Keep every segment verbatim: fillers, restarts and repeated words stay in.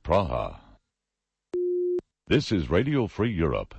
Praha. This is Radio Free Europe.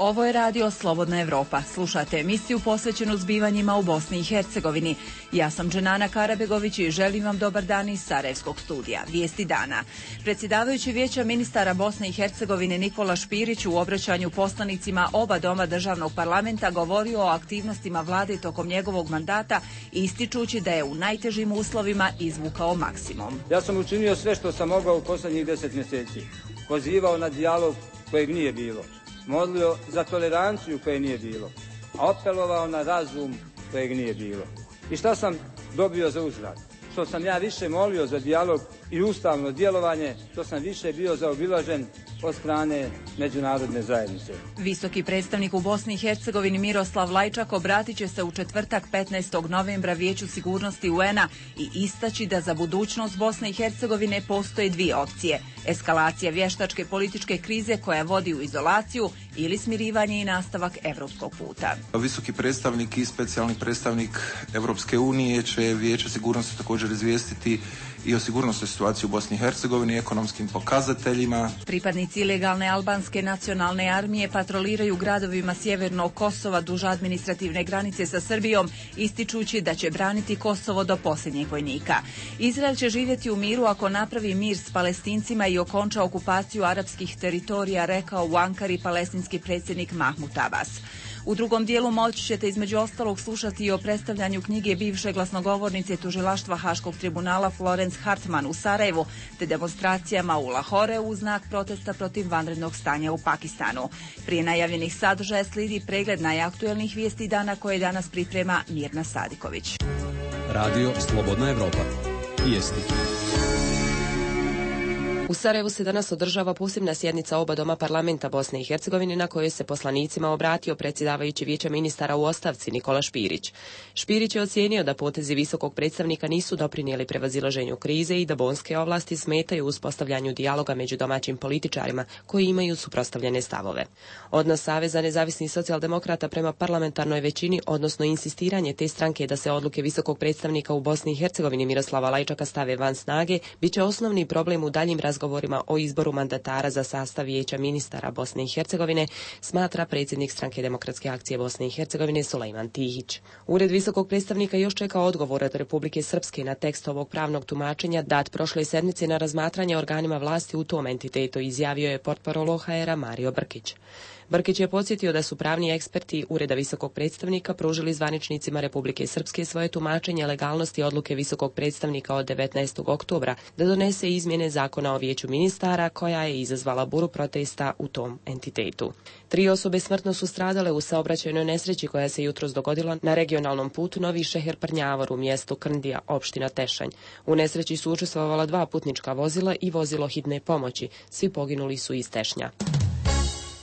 Ovo je radio Slobodna Evropa. Slušate emisiju posvećenu zbivanjima u Bosni i Hercegovini. Ja sam Dženana Karabegović i želim vam dobar dan iz Sarajevskog studija. Vijesti dana. Predsjedavajući Vijeća ministara Bosne i Hercegovine Nikola Špirić u obraćanju poslanicima oba doma državnog parlamenta govorio o aktivnostima vlade tokom njegovog mandata, ističući da je u najtežim uslovima izvukao maksimum. Ja sam učinio sve što sam mogao u posljednjih deset mjeseci. Pozivao na dijalog kojeg nije bilo. Molio za toleranciju koje nije bilo, a apelovao na razum kojeg nije bilo. I šta sam dobio za uzvrat? Što sam ja više molio za dijalog i ustavno djelovanje, što sam više bio zaobilažen od strane međunarodne zajednice. Visoki predstavnik u Bosni i Hercegovini Miroslav Lajčak obratit će se u četvrtak petnaestog novembra Vijeću sigurnosti U N A i istaći da za budućnost Bosne i Hercegovine postoje dvije opcije. Eskalacija vještačke političke krize koja vodi u izolaciju ili smirivanje i nastavak evropskog puta. Visoki predstavnik i specijalni predstavnik Europske unije će Vijeće sigurnosti također izvijestiti i o sigurnosnoj situaciji u Bosni i Hercegovini, ekonomskim pokazateljima. Pripadnici ilegalne albanske nacionalne armije patroliraju gradovima sjevernog Kosova duž administrativne granice sa Srbijom, ističući da će braniti Kosovo do posljednjeg vojnika. Izrael će živjeti u miru ako napravi mir s Palestincima i okonča okupaciju arapskih teritorija, rekao u Ankari palestinski predsjednik Mahmud Abbas. U drugom dijelu moći ćete između ostalog slušati i o predstavljanju knjige bivše glasnogovornice tužilaštva Haškog tribunala Florence Hartman u Sarajevu, te demonstracijama u Lahore u znak protesta protiv vanrednog stanja u Pakistanu. Prije najavljenih sadržaja slijedi pregled najaktuelnih vijesti dana koje danas priprema Mirna Sadiković. Radio Slobodna Evropa. Vijesti. U Sarajevu se danas održava posebna sjednica oba doma parlamenta Bosne i Hercegovine na kojoj se poslanicima obratio predsjedavajući Vijeća ministara u ostavci Nikola Špirić. Špirić je ocijenio da potezi visokog predstavnika nisu doprinijeli prevazilaženju krize i da bonske ovlasti smetaju uspostavljanju dijaloga među domaćim političarima koji imaju suprotstavljene stavove. Odnos Saveza nezavisnih socijaldemokrata prema parlamentarnoj većini, odnosno insistiranje te stranke da se odluke visokog predstavnika u Bosni i Hercegovini Miroslava Lajčaka stave van snage, bit će osnovni problem u daljim razgovorima govorima o izboru mandatara za sastav Vijeća ministara Bosne i Hercegovine, smatra predsjednik Stranke demokratske akcije Bosne i Hercegovine Sulejman Tihić. Ured visokog predstavnika još čeka odgovor od Republike Srpske na tekst ovog pravnog tumačenja dat prošle sedmice na razmatranje organima vlasti u tom entitetu, izjavio je portparol O H R-a Mario Brkić. Brkić je podsjetio da su pravni eksperti Ureda visokog predstavnika pružili zvaničnicima Republike Srpske svoje tumačenje legalnosti odluke visokog predstavnika od devetnaestog oktobra da donese izmjene zakona o Vijeću ministara koja je izazvala buru protesta u tom entitetu. Tri osobe smrtno su stradale u saobraćajnoj nesreći koja se jutros dogodila na regionalnom putu Novi Šeher-Prnjavor u mjestu Krndija, opština Tešanj. U nesreći su učestvovala dva putnička vozila i vozilo hitne pomoći. Svi poginuli su iz Tešnja.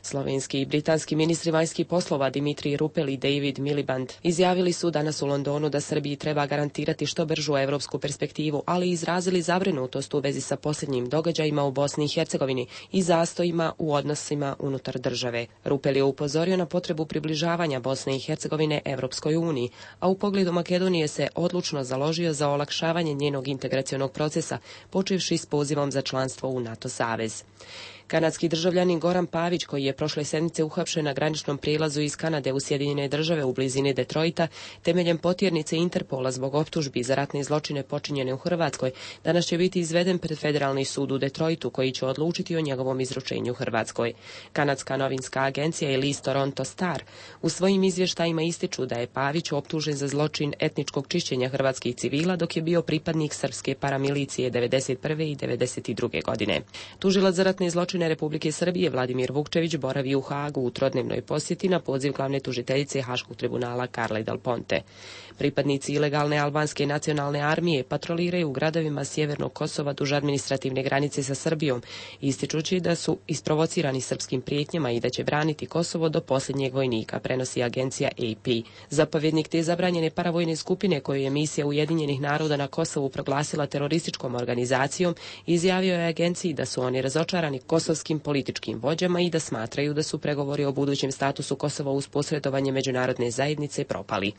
Slovenski i britanski ministri vanjskih poslova Dimitrij Rupel i David Miliband izjavili su danas u Londonu da Srbiji treba garantirati što bržu evropsku perspektivu, ali izrazili zabrinutost u vezi sa posljednjim događajima u Bosni i Hercegovini i zastojima u odnosima unutar države. Rupel je upozorio na potrebu približavanja Bosne i Hercegovine Evropskoj uniji, a u pogledu Makedonije se odlučno založio za olakšavanje njenog integracionog procesa, počevši s pozivom za članstvo u NATO savez. Kanadski državljanin Goran Pavić, koji je prošle sedmice uhapšen na graničnom prijelazu iz Kanade u Sjedinjene države u blizini Detroita, temeljem potjernice Interpola zbog optužbi za ratne zločine počinjene u Hrvatskoj, danas će biti izveden pred Federalni sud u Detroitu, koji će odlučiti o njegovom izručenju Hrvatskoj. Kanadska novinska agencija i list Toronto Star u svojim izvještajima ističu da je Pavić optužen za zločin etničkog čišćenja hrvatskih civila dok je bio pripadnik srpske paramilicije devedeset prve i devedeset druge godine. Tužilac za ratne zločine Republike Srbije Vladimir Vukčević boravi u Hagu u trodnevnoj posjeti na poziv glavne tužiteljice Haškog tribunala Carle Del Ponte. Pripadnici ilegalne albanske nacionalne armije patroliraju u gradovima sjevernog Kosova duž administrativne granice sa Srbijom, ističući da su isprovocirani srpskim prijetnjama i da će braniti Kosovo do posljednjeg vojnika, prenosi agencija A P. Zapovjednik te zabranjene paravojne skupine koju je misija Ujedinjenih naroda na Kosovu proglasila terorističkom organizacijom, izjavio je agenciji da su oni razočarani Kosovo kosovskim političkim vođama i da smatraju da su pregovori o budućem statusu Kosova uz posredovanje međunarodne zajednice propali.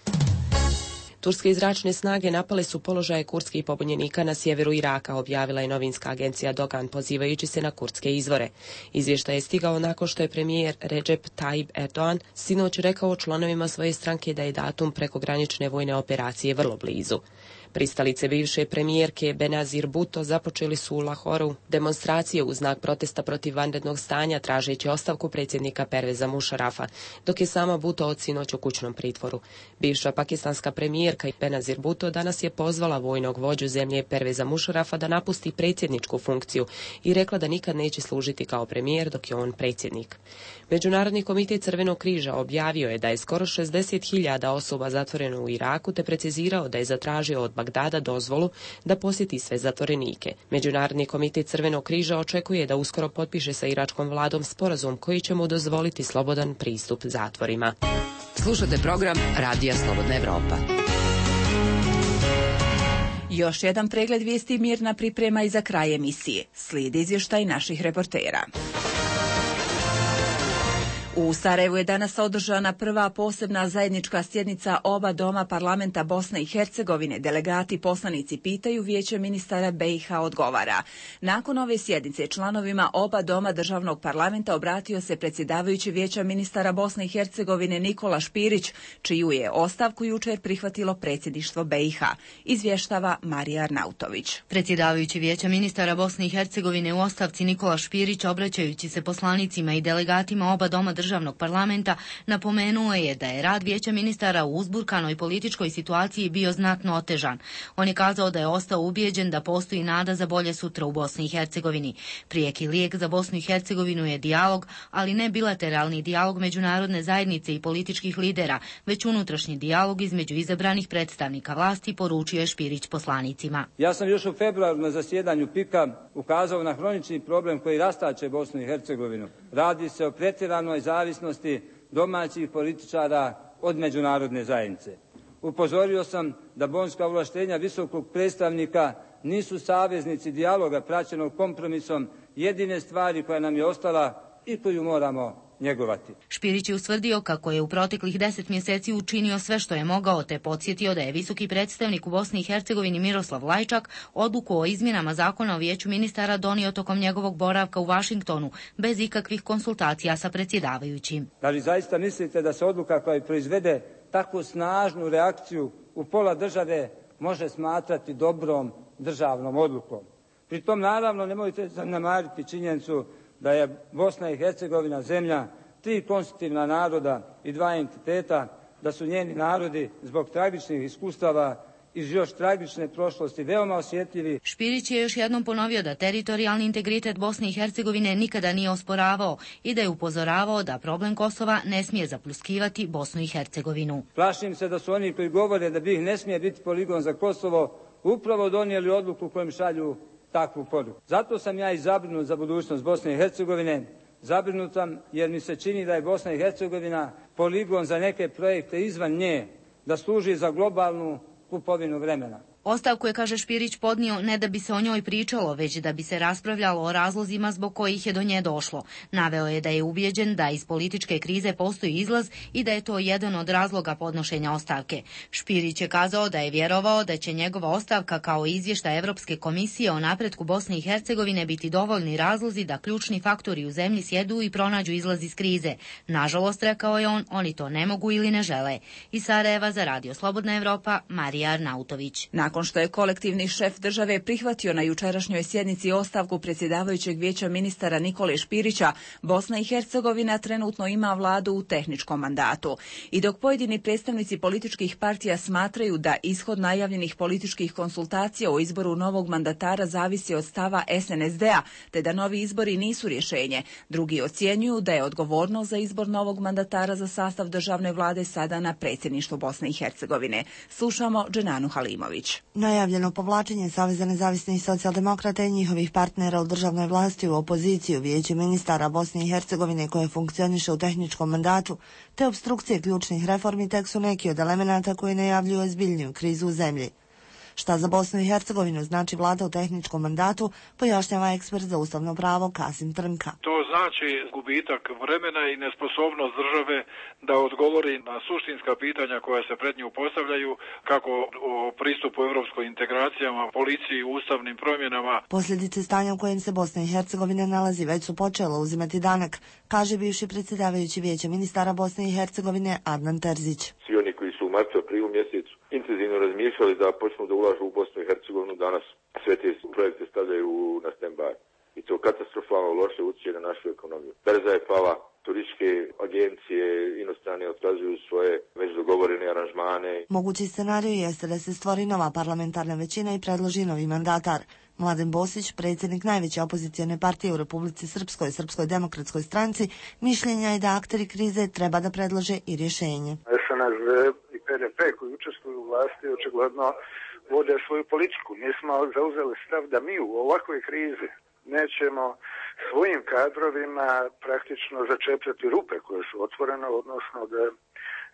Turske zračne snage napale su položaje kurdskih pobunjenika na sjeveru Iraka, objavila je novinska agencija Dogan, pozivajući se na kurdske izvore. Izvještaj je stigao nakon što je premijer Recep Tayyip Erdogan sinoć rekao članovima svoje stranke da je datum prekogranične vojne operacije vrlo blizu. Pristalice bivše premijerke Benazir Bhutto započeli su u Lahoru demonstracije u znak protesta protiv vanrednog stanja, tražeći ostavku predsjednika Perveza Mušarafa, dok je sama Bhutto od sinoć u kućnom pritvoru. Bivša pakistanska premijerka Benazir Bhutto danas je pozvala vojnog vođu zemlje Perveza Mušarafa da napusti predsjedničku funkciju i rekla da nikad neće služiti kao premijer dok je on predsjednik. Međunarodni komitet Crvenog križa objavio je da je skoro šezdeset hiljada osoba zatvoreno u Iraku, te precizirao da je zatražio od Bagdada dozvolu da posjeti sve zatvorenike. Međunarodni komitet Crvenog križa očekuje da uskoro potpiše sa iračkom vladom sporazum koji će mu dozvoliti slobodan pristup zatvorima. Slušate program Radija Slobodna Evropa. Još jedan pregled vijesti Mirna priprema i za kraj emisije. Slijedi izvještaj naših reportera. U Sarajevu je danas održana prva posebna zajednička sjednica oba doma parlamenta Bosne i Hercegovine. Delegati poslanici pitaju, Vijeće ministara B i H odgovara. Nakon ove sjednice članovima oba doma državnog parlamenta obratio se predsjedavajući Vijeća ministara Bosne i Hercegovine Nikola Špirić, čiju je ostavku jučer prihvatilo predsjedništvo B i H. Izvještava Marija Arnautović. Predsjedavajući Vijeća ministara Bosne i Hercegovine u ostavci Nikola Špirić, obraćajući se poslanicima i delegatima oba doma državnog parlamenta, napomenuo je da je rad Vijeća ministara u uzburkanoj političkoj situaciji bio znatno otežan. On je kazao da je ostao ubijeđen da postoji nada za bolje sutra u Bosni i Hercegovini. Prijeki lijek za Bosnu i Hercegovinu je dijalog, ali ne bilateralni dijalog međunarodne zajednice i političkih lidera, već unutrašnji dijalog između izabranih predstavnika vlasti, poručio je Špirić poslanicima. Ja sam još u februaru na zasjedanju pika ukazao na hronični problem koji rastače Bosnu i Hercegovinu. Radi se o pretjeranoj zavisnosti domaćih političara od međunarodne zajednice. Upozorio sam da bonska ovlaštenja visokog predstavnika nisu saveznici dijaloga praćenog kompromisom jedine stvari koja nam je ostala i koju moramo njegovati. Špirić je ustvrdio kako je u proteklih deset mjeseci učinio sve što je mogao, te podsjetio da je visoki predstavnik u Bosni i Hercegovini Miroslav Lajčak odluku o izmjenama zakona o Vijeću ministara donio tokom njegovog boravka u Vašingtonu, bez ikakvih konsultacija sa predsjedavajućim. Da li zaista mislite da se odluka koja proizvede takvu snažnu reakciju u pola države može smatrati dobrom državnom odlukom? Pri tom naravno nemojte zanemariti činjenicu da je Bosna i Hercegovina zemlja tri konstitutivna naroda i dva entiteta, da su njeni narodi zbog tragičnih iskustava iz još tragične prošlosti veoma osjetljivi. Špirić je još jednom ponovio da teritorijalni integritet Bosne i Hercegovine nikada nije osporavao i da je upozoravao da problem Kosova ne smije zapljuskivati Bosnu i Hercegovinu. Plašim se da su oni koji govore da BiH ne smije biti poligon za Kosovo upravo donijeli odluku kojom šalju takvu poruku. Zato sam ja i zabrinut za budućnost Bosne i Hercegovine. Zabrinut sam jer mi se čini da je Bosna i Hercegovina poligon za neke projekte izvan nje, da služi za globalnu kupovinu vremena. Ostavku je, kaže Špirić, podnio ne da bi se o njoj pričalo, već da bi se raspravljalo o razlozima zbog kojih je do nje došlo. Naveo je da je ubijeđen da iz političke krize postoji izlaz i da je to jedan od razloga podnošenja ostavke. Špirić je kazao da je vjerovao da će njegova ostavka kao izvještaj Evropske komisije o napretku Bosne i Hercegovine biti dovoljni razlozi da ključni faktori u zemlji sjedu i pronađu izlaz iz krize. Nažalost, rekao je on, oni to ne mogu ili ne žele. Iz Sarajeva za Radio Slobodna Evropa, Marija Arnautović. Nakon što je kolektivni šef države prihvatio na jučerašnjoj sjednici ostavku predsjedavajućeg Vijeća ministara Nikole Špirića, Bosna i Hercegovina trenutno ima vladu u tehničkom mandatu. I dok pojedini predstavnici političkih partija smatraju da ishod najavljenih političkih konsultacija o izboru novog mandatara zavisi od stava S N S D-a, te da novi izbori nisu rješenje, drugi ocjenjuju da je odgovornost za izbor novog mandatara za sastav državne vlade sada na predsjedništvu Bosne i Hercegovine. Slušamo Dženanu Halimović. Najavljeno povlačenje Saveza nezavisnih socijaldemokrata i njihovih partnera u državnoj vlasti u opoziciju Vijeće ministara Bosne i Hercegovine koje funkcioniše u tehničkom mandatu, te obstrukcije ključnih reformi tek su neki od elemenata koji najavljuju ozbiljniju krizu u zemlji. Šta za Bosnu i Hercegovinu znači vlada u tehničkom mandatu, pojašnjava ekspert za ustavno pravo Kasim Trnka. To znači gubitak vremena i nesposobnost države da odgovori na suštinska pitanja koja se pred nju postavljaju, kako o pristupu europskoj integracijama, policiji, ustavnim promjenama. Posljedice stanja u kojem se Bosna i Hercegovina nalazi već su počelo uzimati danak, kaže bivši predsjedavajući Vijeća ministara Bosne i Hercegovine Adnan Terzić. Svi oni koji su u martu, aprilu mjesecu intenzivno razmišljali da počnu da ulažu u Bosnu i Hercegovinu, danas sve te projekte stavljaju na stand-by. I to katastrofalno loše utječe na našu ekonomiju. Berza je pala, turističke agencije inostrane otkazuju svoje već dogovorene aranžmane. Mogući scenarij jeste da se stvori nova parlamentarna većina i predloži novi mandatar. Mladen Bosić, predsjednik najveće opozicijone partije u Republici Srpskoj, Srpskoj demokratskoj stranci, mišljenja je da akteri krize treba da predlože i rješenje. es en es de i pe de pe koji učestvuju u vlasti očigledno vode svoju politiku. Mi smo zauzeli stav da mi u ovakvoj krizi nećemo svojim kadrovima praktično začepljati rupe koje su otvorene, odnosno da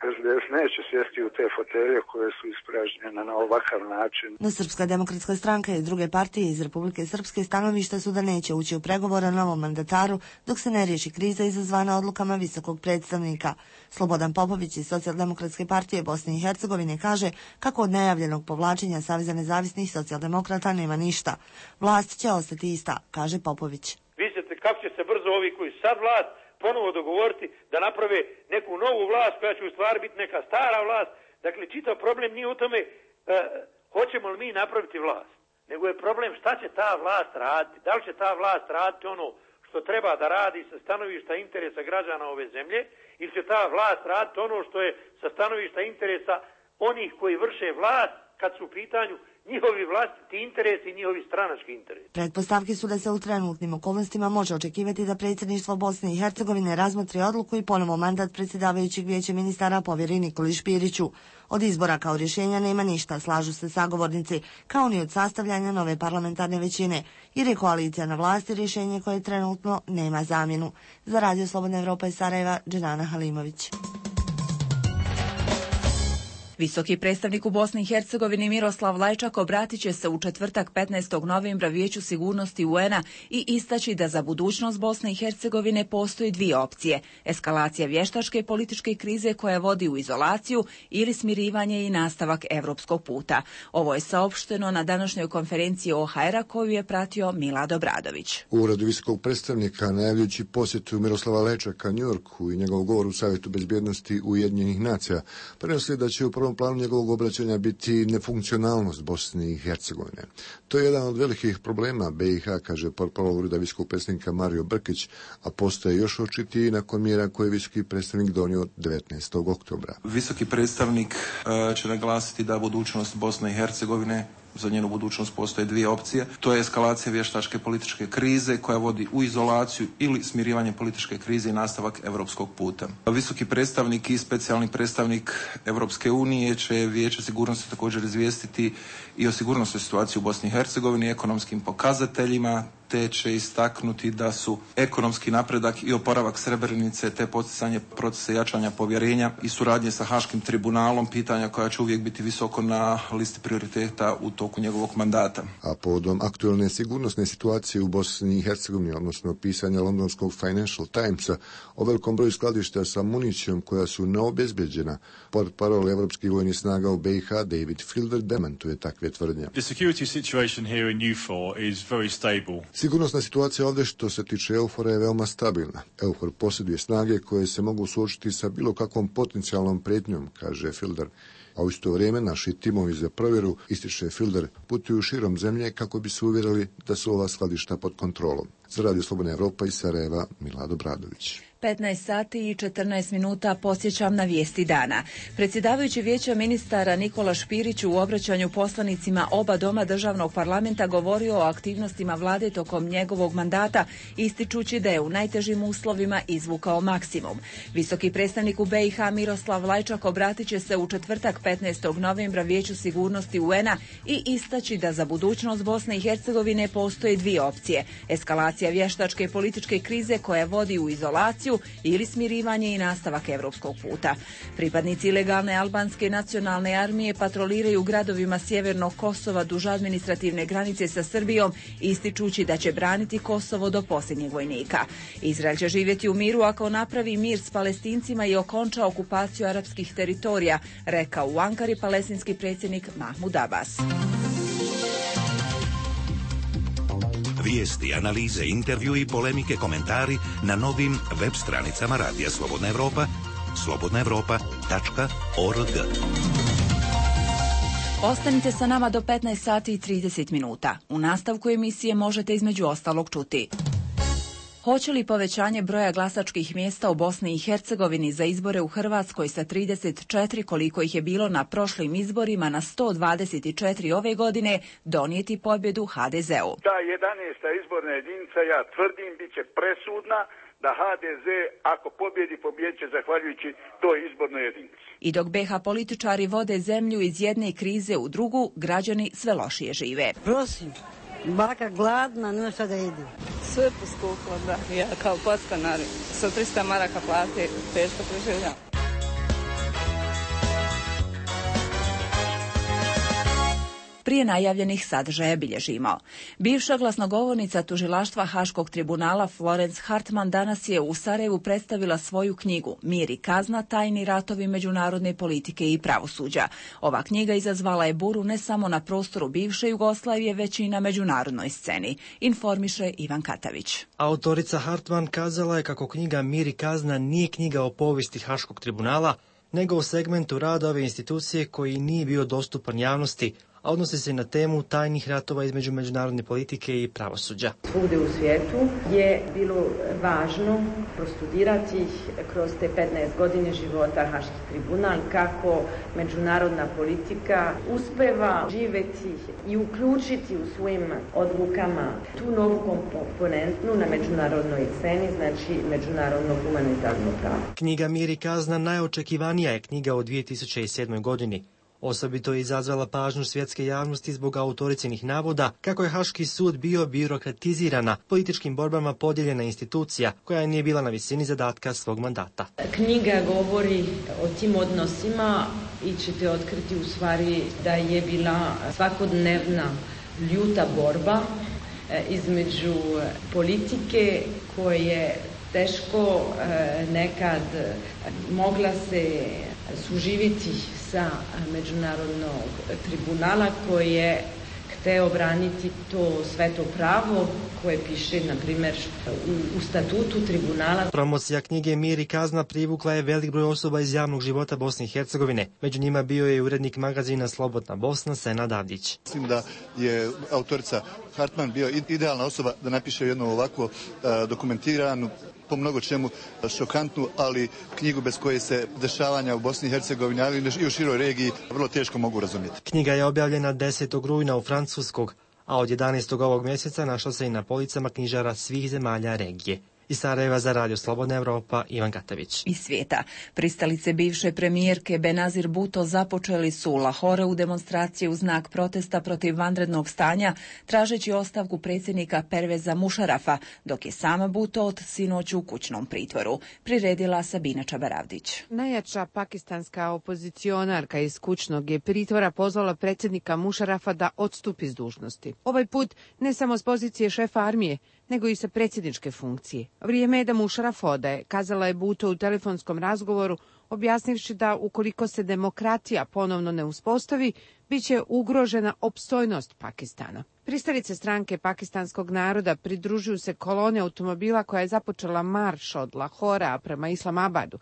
es de es neće sjesti u te fotelje koje su ispražnjene na ovakav način. No Srpska demokratska stranka i druge partije iz Republike Srpske stanovišta su da neće ući u pregovore o novom mandataru dok se ne riješi kriza izazvana odlukama visokog predstavnika. Slobodan Popović iz Socijaldemokratske partije Bosne i Hercegovine kaže kako od najavljenog povlačenja Saveza nezavisnih socijaldemokrata nema ništa. Vlast će ostati ista, kaže Popović. Vidite kako će se brzo ovi koji sad vlast ponovo dogovoriti da naprave neku novu vlast koja će u stvari biti neka stara vlast. Dakle, čitav problem nije u tome e, hoćemo li mi napraviti vlast, nego je problem šta će ta vlast raditi. Da li će ta vlast raditi ono što treba da radi sa stanovišta interesa građana ove zemlje ili će ta vlast raditi ono što je sa stanovišta interesa onih koji vrše vlast kad su u pitanju njihovi vlastiti interesi i njihovi stranački interesi. Pretpostavke su da se u trenutnim okolnostima može očekivati da predsjedništvo Bosne i Hercegovine razmotri odluku i ponovo mandat predsjedavajućeg Vijeća ministara povjeri Nikoli Špiriću. Od izbora kao rješenja nema ništa, slažu se sagovornici, kao ni od sastavljanja nove parlamentarne većine, jer je koalicija na vlasti rješenje koje trenutno nema zamjenu. Za Radio Slobodna Evropa iz Sarajeva, Dženana Halimović. Visoki predstavnik u Bosni i Hercegovini Miroslav Lajčak obratit će se u četvrtak petnaestog novembra Vijeću sigurnosti u en a i istaći da za budućnost Bosne i Hercegovine postoji dvije opcije: eskalacija vještačke političke krize koja vodi u izolaciju ili smirivanje i nastavak europskog puta. Ovo je saopšteno na današnjoj konferenciji o ha er a koju je pratio Milad Obradović. U uredu visokog predstavnika, najavljujući posjetu Miroslava Lajčaka Njujorku i njegov govor u Savjetu bezbjednosti Ujedinjenih nacija, prenosili da će u prvom planu njegovog obraćanja biti nefunkcionalnost Bosne i Hercegovine. To je jedan od velikih problema be i ha, kaže portparol ureda visokog predstavnika Mario Brkić, a postaje još očitiji nakon mjera koje je visoki predstavnik donio devetnaestog oktobra. Visoki predstavnik uh, će naglasiti da budućnost Bosne i Hercegovine, za njenu budućnost postoje dvije opcije. To je eskalacija vještačke političke krize koja vodi u izolaciju ili smirivanje političke krize i nastavak europskog puta. Visoki predstavnik i specijalni predstavnik Europske unije će Vijeće sigurnosti također izvijestiti i o sigurnosnoj situaciji u Bosni i Hercegovini, ekonomskim pokazateljima, te će istaknuti da su ekonomski napredak i oporavak Srebrenice te poticanje procesa jačanja povjerenja i suradnje sa Haškim tribunalom pitanja koja će uvijek biti visoko na listi prioriteta u toku njegovog mandata. A povodom aktualne sigurnosne situacije u Bosni i Hercegovini, odnosno pisanja londonskog Financial Timesa o velikom broju skladišta sa municijom koja su neobezbeđena, portparol evropskih vojnih snaga u be i ha David Fielder demantuje takve tvrdnje. The security situation here in E U four is very stable. Sigurnosna situacija ovdje što se tiče EUFOR-a je veoma stabilna. EUFOR posjeduje snage koje se mogu suočiti sa bilo kakvom potencijalnom prijetnjom, kaže Fielder. A u isto vrijeme naši timovi za provjeru, ističe Fielder, putuju širom zemlje kako bi se uvjerili da su ova skladišta pod kontrolom. Za Radio Slobodna Evropa iz Sarajeva, Milad Obradović. petnaest sati i četrnaest minuta podsjećam na vijesti dana. Predsjedavajući Vijeća ministara Nikola Špirić u obraćanju poslanicima oba doma državnog parlamenta govorio o aktivnostima vlade tokom njegovog mandata, ističući da je u najtežim uslovima izvukao maksimum. Visoki predstavnik u be i ha Miroslav Lajčak obratit će se u četvrtak petnaestog novembra Vijeću sigurnosti u en a i istaći da za budućnost Bosne i Hercegovine postoje dvije opcije: eskalacija vještačke političke krize koja vodi u izolaciju Srbiju ili smirivanje i nastavak evropskog puta. Pripadnici ilegalne albanske nacionalne armije patroliraju gradovima sjevernog Kosova duž administrativne granice sa Srbijom, ističući da će braniti Kosovo do posljednjeg vojnika. Izrael će živjeti u miru ako napravi mir s Palestincima i okonča okupaciju arapskih teritorija, rekao u Ankari palestinski predsjednik Mahmud Abbas. Vijesti, analize, intervju i polemike, komentari na novim web stranicama Radija Slobodna Evropa, slobodna evropa tačka org. Ostanite sa nama do petnaest sati i trideset minuta. U nastavku emisije možete između ostalog čuti: hoće li povećanje broja glasačkih mjesta u Bosni i Hercegovini za izbore u Hrvatskoj sa trideset četiri, koliko ih je bilo na prošlim izborima, na sto dvadeset četiri ove godine, donijeti pobjedu ha de zeu? Ta jedanaesta izborna jedinica, ja tvrdim, bit će presudna da ha de ze, ako pobjedi, pobjeće zahvaljujući toj izbornoj jedinici. I dok be ha političari vode zemlju iz jedne krize u drugu, građani sve lošije žive. Prosim, baka gladna, nema šta da jedi. Sve poskuplo, da. Ja kao podstanar sa trista maraka plate teško preživljam. Prije najavljenih sadržaja bilježimo. Bivša glasnogovornica tužilaštva Haškog tribunala Florence Hartman danas je u Sarajevu predstavila svoju knjigu Mir i kazna, tajni ratovi međunarodne politike i pravosuđa. Ova knjiga izazvala je buru ne samo na prostoru bivše Jugoslavije, već i na međunarodnoj sceni, informiše Ivan Katavić. Autorica Hartman kazala je kako knjiga Mir i kazna nije knjiga o povijesti Haškog tribunala, nego o segmentu rada ove institucije koji nije bio dostupan javnosti, a odnosi se na temu tajnih ratova između međunarodne politike i pravosuđa. Svugdje u svijetu je bilo važno prostudirati kroz te petnaest godine života Haški tribunal kako međunarodna politika uspeva živjeti i uključiti u svojim odlukama tu novu komponentnu na međunarodnoj sceni, znači međunarodno humanitarno pravo. Knjiga Mir i kazna najočekivanija je knjiga u dvije tisuće sedmoj. godini. Osobito je izazvala pažnju svjetske javnosti zbog autoricinih navoda kako je Haški sud bio birokratizirana, političkim borbama podijeljena institucija koja nije bila na visini zadatka svog mandata. Knjiga govori o tim odnosima i ćete otkriti u stvari da je bila svakodnevna ljuta borba između politike koje teško nekad mogla se suživiti sa međunarodnog tribunala koji je hteo braniti to sveto pravo koje piše, na primjer, u, u statutu tribunala. Promocija knjige Mir i kazna privukla je velik broj osoba iz javnog života Bosne i Hercegovine. Među njima bio je urednik magazina Slobodna Bosna, Senad Avdić. Mislim da je autorica Hartman bio idealna osoba da napiše jednu ovakvu uh, dokumentiranu, po mnogo čemu šokantnu, ali knjigu bez koje se dešavanja u Bosni i Hercegovini, ali i u široj regiji vrlo teško mogu razumjeti. Knjiga je objavljena desetog rujna u Francuskog, a od jedanaestog ovog mjeseca našla se i na policama knjižara svih zemalja regije. Iz Sarajeva za Radio Slobodna Evropa, Ivan Gatavić. Iz svijeta. Pristalice bivše premijerke Benazir Bhutto započeli su u Lahore u demonstraciji u znak protesta protiv vanrednog stanja, tražeći ostavku predsjednika Perveza Mušarafa, dok je sama Bhutto od sinoć u kućnom pritvoru. Priredila Sabina Čabaravdić. Najjača pakistanska opozicionarka iz kućnog je pritvora pozvala predsjednika Mušarafa da odstupi s dužnosti. Ovaj put ne samo s pozicije šefa armije, nego i sa predsjedničke funkcije. Vrijeme je da Mušaraf ode, kazala je Bhutto u telefonskom razgovoru, objasnivši da ukoliko se demokratija ponovno ne uspostavi, bit će ugrožena opstojnost Pakistana. Pristalice stranke pakistanskog naroda pridružuju se kolone automobila koja je započela marš od Lahora prema Islamabadu.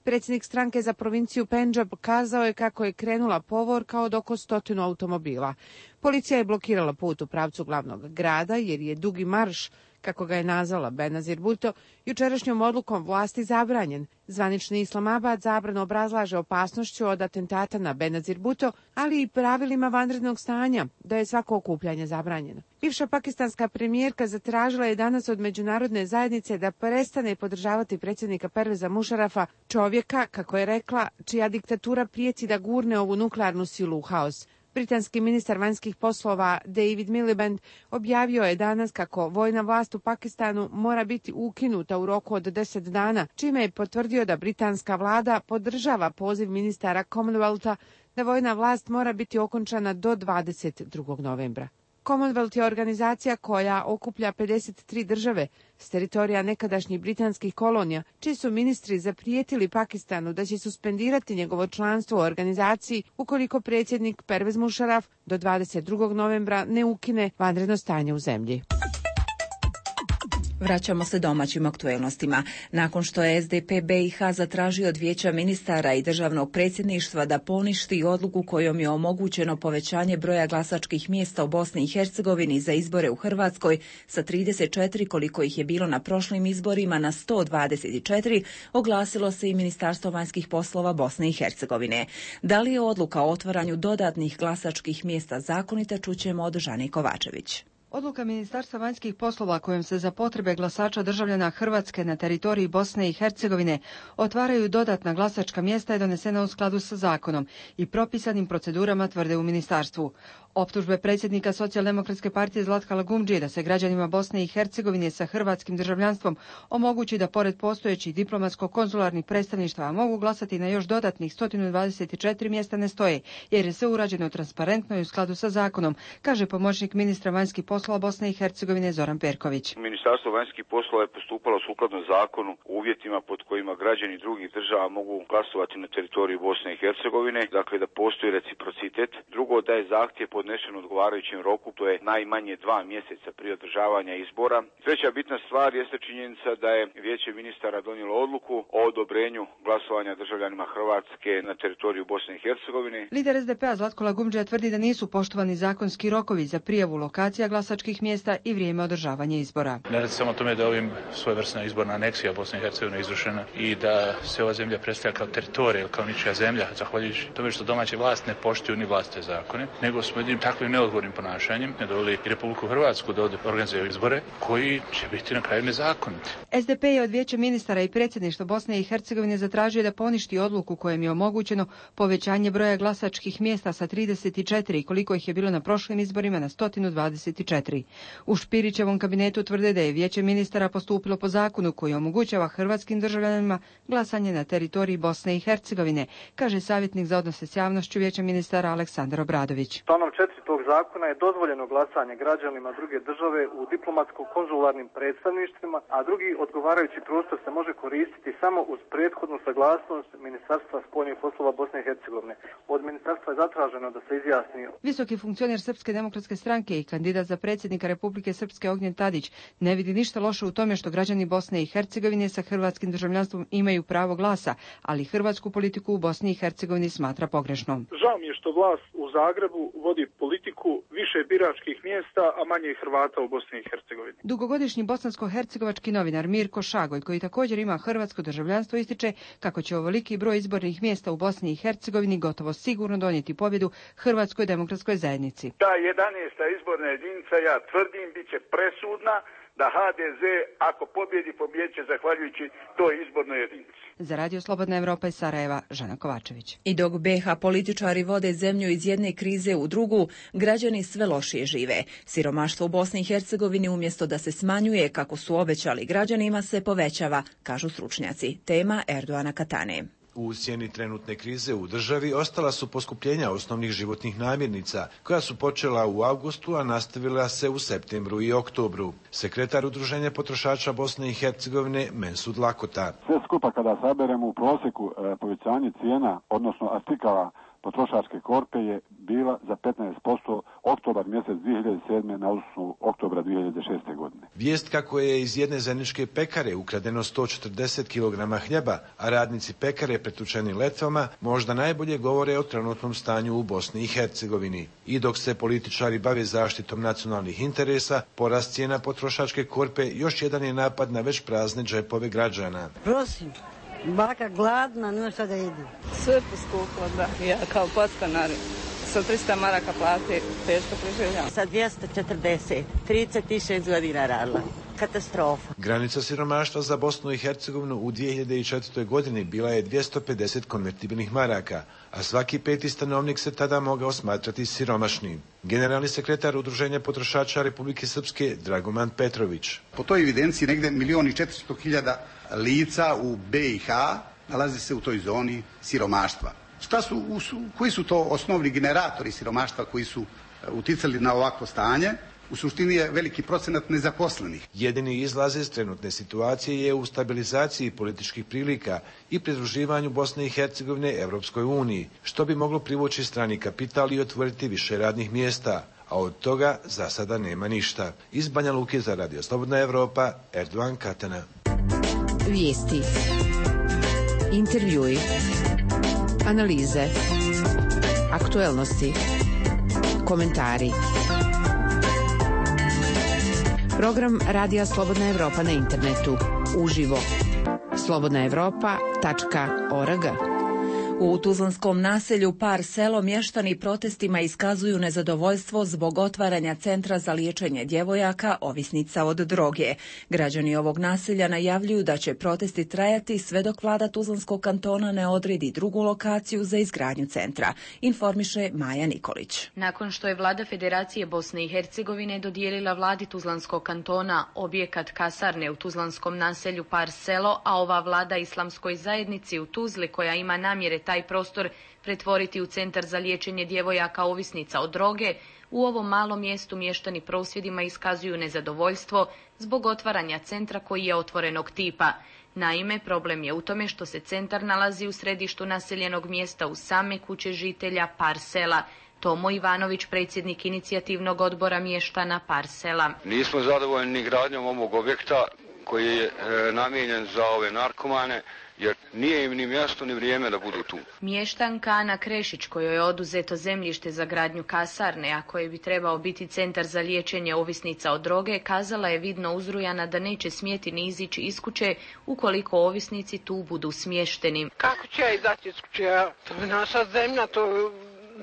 Predsjednik stranke za provinciju Pendžab kazao je kako je krenula povorka od oko stotinu automobila. Policija je blokirala put u pravcu glavnog grada jer je dugi marš, kako ga je nazvala Benazir Bhutto, jučerašnjom odlukom vlasti zabranjen. Zvanični Islamabad zabranu obrazlaže opasnošću od atentata na Benazir Bhutto, ali i pravilima vanrednog stanja, da je svako okupljanje zabranjeno. Bivša pakistanska premijerka zatražila je danas od međunarodne zajednice da prestane podržavati predsjednika Perveza Mušarafa, čovjeka, kako je rekla, čija diktatura prijeti da gurne ovu nuklearnu silu u haos. Britanski ministar vanjskih poslova David Miliband objavio je danas kako vojna vlast u Pakistanu mora biti ukinuta u roku od deset dana, čime je potvrdio da britanska vlada podržava poziv ministara Commonwealtha da vojna vlast mora biti okončana do dvadeset drugog novembra. Commonwealth je organizacija koja okuplja pedeset tri države s teritorija nekadašnjih britanskih kolonija, čiji su ministri zaprijetili Pakistanu da će suspendirati njegovo članstvo u organizaciji ukoliko predsjednik Pervez Musharraf do dvadeset drugog novembra ne ukine vanredno stanje u zemlji. Vraćamo se domaćim aktuelnostima. Nakon što je S D P B i H zatražio od Vijeća ministara i državnog predsjedništva da poništi odluku kojom je omogućeno povećanje broja glasačkih mjesta u Bosni i Hercegovini za izbore u Hrvatskoj sa trideset četiri koliko ih je bilo na prošlim izborima na sto dvadeset četiri, oglasilo se i Ministarstvo vanjskih poslova Bosne i Hercegovine. Da li je odluka o otvaranju dodatnih glasačkih mjesta zakonita, čućemo od Žane Kovačević. Odluka Ministarstva vanjskih poslova kojom se za potrebe glasača državljana Hrvatske na teritoriji Bosne i Hercegovine otvaraju dodatna glasačka mjesta je donesena u skladu sa zakonom i propisanim procedurama, tvrde u ministarstvu. Optužbe predsjednika Socijaldemokratske partije Zlatka Lagumdžije da se građanima Bosne i Hercegovine sa hrvatskim državljanstvom omogući da pored postojećih diplomatsko-konzularnih predstavništva mogu glasati na još dodatnih sto dvadeset četiri mjesta ne stoje, jer je sve urađeno transparentno i u skladu sa zakonom, kaže pomoćnik ministra vanjskih poslova Bosne i Hercegovine Zoran Perković. Ministarstvo vanjskih poslova je postupalo sukladno zakonu u uvjetima pod kojima građani drugih država mogu glasovati na teritoriju Bosne i Hercegovine, dakle da postoji reciprocitet. Drugo, da je zahtjev podnesen u odgovarajućem roku, to je najmanje dva mjeseca prije održavanja izbora. Treća bitna stvar jeste činjenica da je Vijeće ministara donijelo odluku o odobrenju glasovanja državljanima Hrvatske na teritoriju Bosne i Hercegovine. Lider S D P-a Zlatko Lagumdžija tvrdi da nisu poštovani zakonski rokovi za prijavu lokacija glasačkih mjesta i vrijeme održavanja izbora. Ne radi samo o tome da je ovim svojevrsna izborna aneksija Bosne i Hercegovine izvršena i da se ova zemlja predstavlja kao teritorij ili kao ničija zemlja, zahvaljujući tome što domaće vlast ne poštuju ni vlastite zakone, nego smo jednim takvim neodgovornim ponašanjem ne doveli i Republiku Hrvatsku da organizuje izbore koji će biti na kraju nezakoniti. S D P je od Vijeća ministara i predsjedništva Bosne i Hercegovine zatražio da poništi odluku kojom je omogućeno povećanje broja glasačkih mjesta sa trideset četiri koliko ih je bilo na prošlim izborima na sto dvadeset četiri. U Špirićevom kabinetu tvrde da je Vijeće ministara postupilo po zakonu koji omogućava hrvatskim državljanima glasanje na teritoriji Bosne i Hercegovine, kaže savjetnik za odnose s javnošću Vijeća ministara Aleksandar Obradović. Članom četiri tog zakona je dozvoljeno glasanje građanima druge države u diplomatsko-konzularnim predstavništvima, a drugi odgovarajući prostor se može koristiti samo uz prethodnu saglasnost Ministarstva spoljnih poslova Bosne i Hercegovine. Od ministarstva je zatraženo da se izjasni. Visoki funkcioner Srpske demokratske stranke i kandidat za predsjednika Republike Srpske Ognjen Tadić ne vidi ništa loše u tome što građani Bosne i Hercegovine sa hrvatskim državljanstvom imaju pravo glasa, ali hrvatsku politiku u Bosni i Hercegovini smatra pogrešnom. Žao mi je što vlast u Zagrebu vodi politiku više biračkih mjesta, a manje Hrvata u Bosni i Hercegovini. Dugogodišnji bosansko-hercegovački novinar Mirko Šagoj, koji također ima hrvatsko državljanstvo, ističe kako će ovoliki broj izbornih mjesta u Bosni i Hercegovini gotovo sigurno donijeti pobjedu Hrvatskoj demokratskoj zajednici. Ta jedanaesta izborna jedinica, ja tvrdim, bit će presudna da H D Z ako pobjedi, pobjeće zahvaljujući toj izbornoj jedinici. Za Radio Slobodna Evropa iz Sarajeva, Žana Kovačević. I dok B H političari vode zemlju iz jedne krize u drugu, građani sve lošije žive. Siromaštvo u Bosni i Hercegovini umjesto da se smanjuje, kako su obećali građanima, se povećava, kažu stručnjaci. Tema Erdoana Katane. U sjeni trenutne krize u državi ostala su poskupljenja osnovnih životnih namirnica, koja su počela u avgustu, a nastavila se u septembru i oktobru. Sekretar Udruženja potrošača Bosne i Hercegovine Mensud Lakota. Sve skupa kada saberemo u prosjeku e, povećanje cijena, odnosno artikala potrošačke korpe je bila za petnaest posto oktobar mjesec dvije hiljade sedme na osnovu oktobra dvije hiljade šeste godine. Vijest kako je iz jedne zajedničke pekare ukradeno sto četrdeset kilograma hljeba, a radnici pekare pretučeni letvama, možda najbolje govore o trenutnom stanju u Bosni i Hercegovini. I dok se političari bave zaštitom nacionalnih interesa, porast cijena potrošačke korpe još jedan je napad na već prazne džepove građana. Prosim. Baka gladna, nema šta da jedi. Sve poskuplo, da. Ja kao podstanar sa trista maraka plate teško preživljam. Sa dvjesto četrdeset, trideset šest godina radila. katastrofa. Granica siromaštva za Bosnu i Hercegovinu u dvije hiljade četvrtoj. godini bila je dvjesto pedeset konvertibilnih maraka, a svaki peti stanovnik se tada mogao smatrati siromašnim. Generalni sekretar Udruženja potrošača Republike Srpske Dragoman Petrović. Po toj evidenciji negde milijon i četiristo hiljada lica u B i H nalazi se u toj zoni siromaštva. Šta su, koji su to osnovni generatori siromaštva koji su uticali na ovakvo stanje? U suštini je veliki procenat nezaposlenih. Jedini izlaz iz trenutne situacije je u stabilizaciji političkih prilika i pridruživanju Bosne i Hercegovine Evropskoj uniji, što bi moglo privući strani kapital i otvoriti više radnih mjesta, a od toga za sada nema ništa. Iz Banja Luke za Radio Slobodna Evropa, Erdogan Katana. Vijesti, intervjui, analize, aktuelnosti, komentari. Program Radija Slobodna Evropa na internetu. Uživo. slobodna evropa tačka org. U tuzlanskom naselju Par Selo mještani protestima iskazuju nezadovoljstvo zbog otvaranja centra za liječenje djevojaka ovisnica od droge. Građani ovog naselja najavljuju da će protesti trajati sve dok vlada Tuzlanskog kantona ne odredi drugu lokaciju za izgradnju centra, informiše Maja Nikolić. Nakon što je vlada Federacije Bosne i Hercegovine dodijelila vladi Tuzlanskog kantona objekat kasarne u tuzlanskom naselju Par Selo, a ova vlada Islamskoj zajednici u Tuzli koja ima namjere taj prostor pretvoriti u centar za liječenje djevojaka ovisnica od droge, u ovom malom mjestu mještani prosvjedima iskazuju nezadovoljstvo zbog otvaranja centra koji je otvorenog tipa. Naime, problem je u tome što se centar nalazi u središtu naseljenog mjesta uz same kuće žitelja Par Sela. Tomo Ivanović, predsjednik inicijativnog odbora mještana Par Sela. Nismo zadovoljni ni gradnjom ovog objekta koji je e, namijenjen za ove narkomane, jer nije im ni mjesto ni vrijeme da budu tu. Mještanka Ana Krešić, kojoj je oduzeto zemljište za gradnju kasarne, a koji bi trebao biti centar za liječenje ovisnica od droge, kazala je vidno uzrujana da neće smjeti ni izići iz kuće ukoliko ovisnici tu budu smješteni. Kako će ja izaći iz kuće? To je naša zemlja, to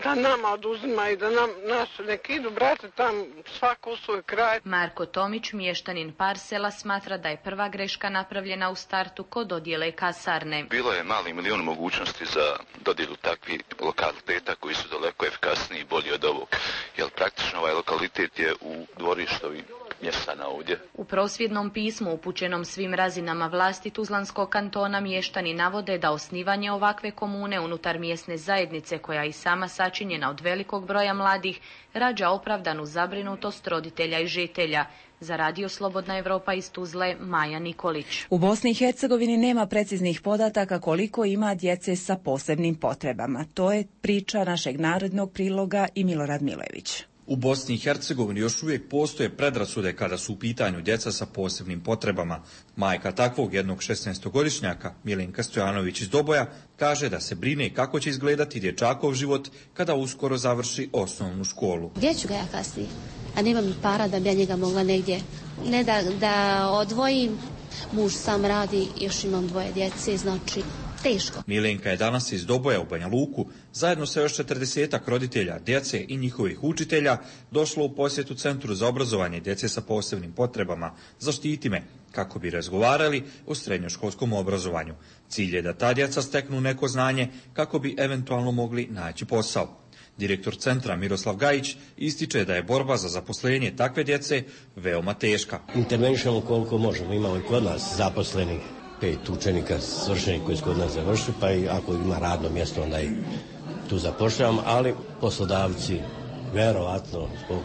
da nama oduzima i da nam nas neki idu, brate, tam svako u svoj kraj. Marko Tomić, mještanin Par Sela, smatra da je prva greška napravljena u startu kod dodjele kasarne. Bilo je mali milion mogućnosti za dodjelu takvih lokaliteta koji su daleko efikasniji i bolji od ovog, jer praktično ovaj lokalitet je u dvorištovi mještana ovdje. U prosvjednom pismu upućenom svim razinama vlasti Tuzlanskog kantona mještani navode da osnivanje ovakve komune unutar mjesne zajednice, koja i sama sačinjena od velikog broja mladih, rađa opravdanu zabrinutost roditelja i žitelja. Za Radio Slobodna Evropa iz Tuzle, Maja Nikolić. U Bosni i Hercegovini nema preciznih podataka koliko ima djece sa posebnim potrebama. To je priča našeg narodnog priloga i Milorad Milević. U Bosni i Hercegovini još uvijek postoje predrasude kada su u pitanju djeca sa posebnim potrebama. Majka takvog jednog šesnaestogodišnjaka, Milenka Stojanović iz Doboja, kaže da se brine kako će izgledati dječakov život kada uskoro završi osnovnu školu. Gdje ću ga ja kasnije? A nemam ni para da bi ja njega mogla negdje. Ne da, da odvojim, muž sam radi, još imam dvoje djece, znači teško. Milenka je danas iz Doboja u Banja Luku, zajedno sa još četrdesetak roditelja, djece i njihovih učitelja, došlo u posjetu Centru za obrazovanje djece sa posebnim potrebama Zaštiti me, kako bi razgovarali o srednjoškolskom obrazovanju. Cilj je da ta djeca steknu neko znanje kako bi eventualno mogli naći posao. Direktor centra Miroslav Gajić ističe da je borba za zaposlenje takve djece veoma teška. Intervenišemo koliko možemo, imamo i kod nas zaposlenih pet učenika svršenih koji su kod nas završili, pa i ako ima radno mjesto onda i tu zapošljavamo, ali poslodavci verovatno zbog,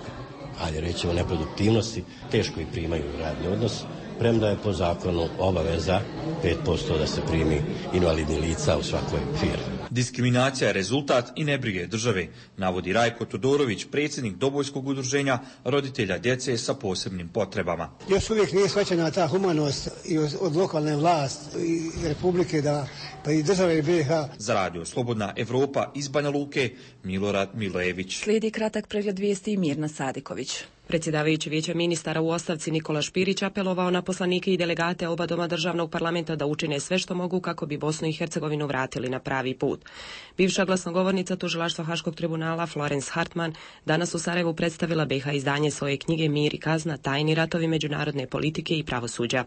ajde rećemo, neproduktivnosti teško i primaju radni odnos, premda je po zakonu obaveza pet posto da se primi invalidni lica u svakoj firmi. Diskriminacija je rezultat i nebrige države, navodi Rajko Todorović, predsjednik Dobojskog udruženja roditelja djece sa posebnim potrebama. Još uvijek nije shvaćena ta humanost i od lokalne vlasti i republike, da, pa i države i B iH. Za Radio Slobodna Evropa iz Banja Luke, Milorad Milević. Slijedi kratak pregled vijesti i Mirna Sadiković. Predsjedavajući Vijeća ministara u ostavci Nikola Špirić apelovao na poslanike i delegate oba doma državnog parlamenta da učine sve što mogu kako bi Bosnu i Hercegovinu vratili na pravi put. sud. Bivša glasnogovornica tužilaštva Haškog tribunala Florence Hartman danas u Sarajevu predstavila B i H izdanje svoje knjige Mir i kazna, tajni ratovi međunarodne politike i pravosuđa.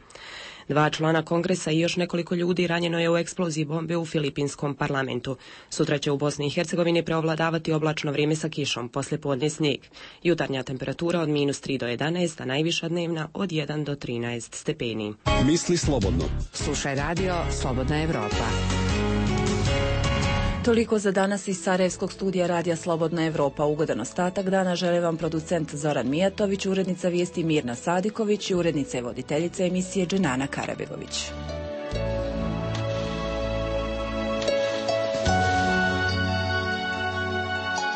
Dva člana kongresa i još nekoliko ljudi ranjeno je u eksploziji bombe u filipinskom parlamentu. Sutra će u Bosni i Hercegovini preovladavati oblačno vrijeme sa kišom, poslijepodne snijeg. Jutarnja temperatura od minus tri do jedanaest, a najviša dnevna od jedan do trinaest stepeni. Misli slobodno. Slušaj radio Slobodna Evropa. Toliko za danas iz Sarajevskog studija Radija Slobodna Evropa. Ugodan ostatak dana žele vam producent Zoran Mijatović, urednica vijesti Mirna Sadiković i urednica i voditeljica emisije Dženana Karabegović.